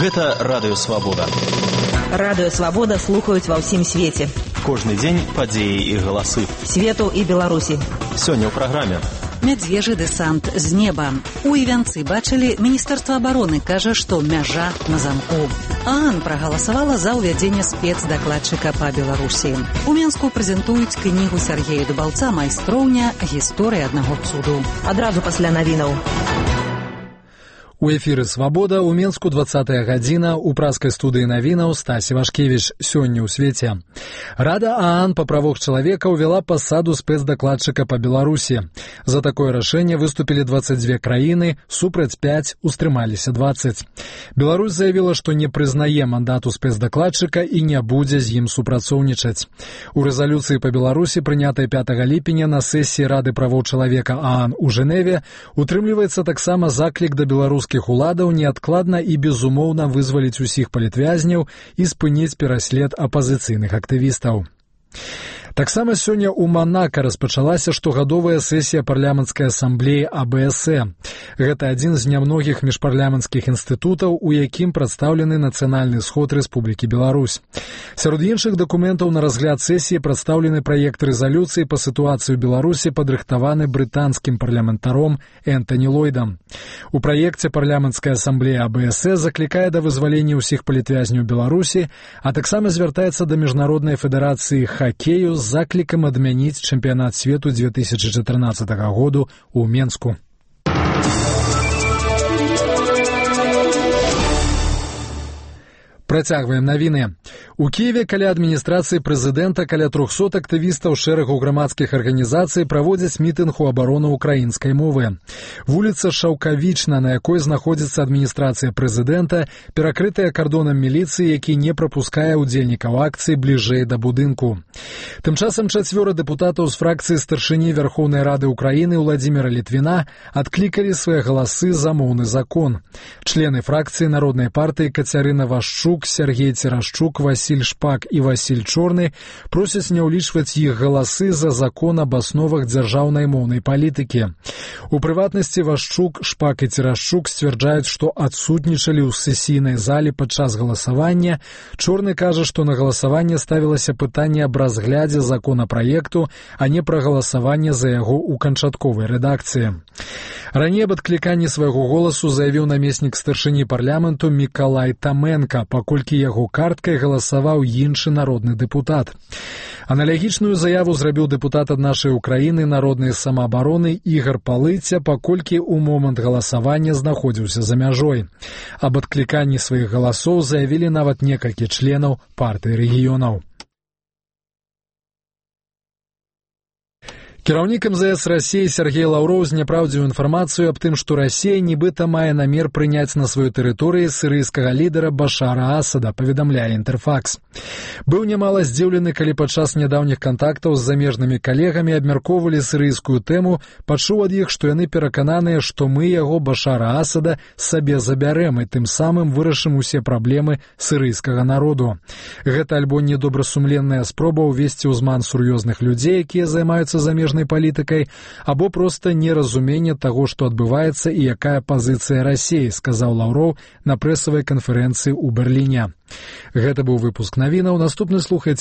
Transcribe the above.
Гэта Радыё Свабода. Радыё Свабода слухаюць ва ўсім свеце. Кожны дзень падзеі і галасы. Свету і Беларусі. Сёння ў праграме. Мядзвежы дэсант з неба. У Івянцы бачылі, Міністэрства абароны кажа, што мяжа на замку. ААН прагаласавала за ўвядзенне спецдакладчыка па Беларусі. У Менску прэзентуюць кнігу Сергея Дубаўца «Майстроўня. Гісторыя аднаго цуду». Адразу пасля навінаў. У эфіры «Свабода» у Менску 20-я гадзіна, у праскай студыі навінаў Стась Івашкевіч. Сёння ў свеце. Рада ААН па правах чалавека ўвяла пасаду спецдакладчыка па Беларусі. За такое рашэнне выступілі 22 краіны, супраць 5, устрымаліся 20. Беларусь заявіла, што не прызнае мандату спецдакладчыка і не будзе з ім супрацоўнічаць. У рэзалюцыі па Беларусі, прынятай 5 ліпеня на сесіі Рады правоў чалавека ААН у Жэневе, утрымліваецца таксама заклік да беларускіх уладаў неадкладна і безумоўна вызваліць усіх палітвязняў і спыніць пераслед апазіцыйных актывістаў. Таксама сёння ў Манака распачалася штогадовая сесія парламенцкай асамблеі АБСЭ. Гэта адзін з нямногіх міжпарламенцкіх інстытутаў, у якім прадстаўлены нацыянальны сход Рэспублікі Беларусь. Сярод іншых дакументаў на разгляд сесіі прадстаўлены праект рэзалюцыі па сітуацыі ў Беларусі, падрыхтаваны брытанскім парламентаром Энтані Ллойдам. У праекце парламенцкая асамблея АБСЭ заклікае да вызвалення ўсіх палітвязняў Беларусі, а таксама звяртаецца да міжнароднай федэрацыі хакею з заклікам адмяніць чэмпіянат свету 2014 году ў Менску. Працягваем навіны. У Киеве каля адміністрацыі прэзідэнта каля 300 актывістаў шэрагу грамадскіх арганізацый праводзяць мітынг у абарону ўкраінскай мовы. Вуліца Шаўкавічна, на якой знаходзіцца адміністрацыя прэзідэнта, перакрытая кардонам міліцыі, які не прапускае ўдзельнікаў акцыі бліжэй да будынку. Тым часам 4 дэпутатаў з фракцыі старшыні Вярхоўнай Рады Украіны Владзіміра Літвіна адклікалі свае галасы за моўны закон. Члены фракцыі Народнай партыі Кацярына Вашчук, Сергей Церашчук, Васіль Шпак і Васіль Чорны просяць не ўлічваць іх галасы за закон аб асновах дзяржаўнай моўнай палітыкі. У прыватнасці Вашчук, Шпак і Церашчук сцвярджаюць, што адсутнічалі ў сесійнай зале падчас галасавання. Чорны кажа, што на галасаванне ставілася пытанне аб разглядзе законапраекту, а не пра галасаванне за яго ў канчатковай рэдакцыі. Раней аб адкліканні свайго голасу заявіў намеснік старшыні парламенту Мікалай Таменка, паколькі яго карткай галасаваў іншы народны дэпутат. Аналагічную заяву зрабіў дэпутат ад нашай Украіны народнай самаабароны Ігар Палыця, паколькі ў момант галасавання знаходзіўся за мяжой. Аб адкліканні сваіх галасоў заявілі нават некалькі членаў партыі рэгіёнаў. Кіраўнік МЗС Расіі Сергей Лаўроў зняпраўдзіў інфармацыю аб тым, што Расія нібыта мае намер прыняць на сваёй тэрыторыі сірыйскага лідара Башара Асада, паведамляе Інтэрфакс. Быў нямала здзіўлены, калі падчас нядаўніх кантактаў з замежнымі калегамі абмяркоўвалі сірыйскую тэму, пачуў ад іх, што яны перакананыя, што мы яго Башара Асада сабе забярэм і тым самым вырашым усе праблемы сірыйскага народу. Гэта альбо недобрасумленная спроба ўвесці ў зман сур'ёзных людзей, якія займаюцца замежнымі палітыкай, або проста неразуменне таго, што адбываецца і якая пазіцыя Расіі, сказаў Лаўроў на прэсавай канферэнцыі ў Берліне. Гэта быў выпуск навінаў. Наступны слухаць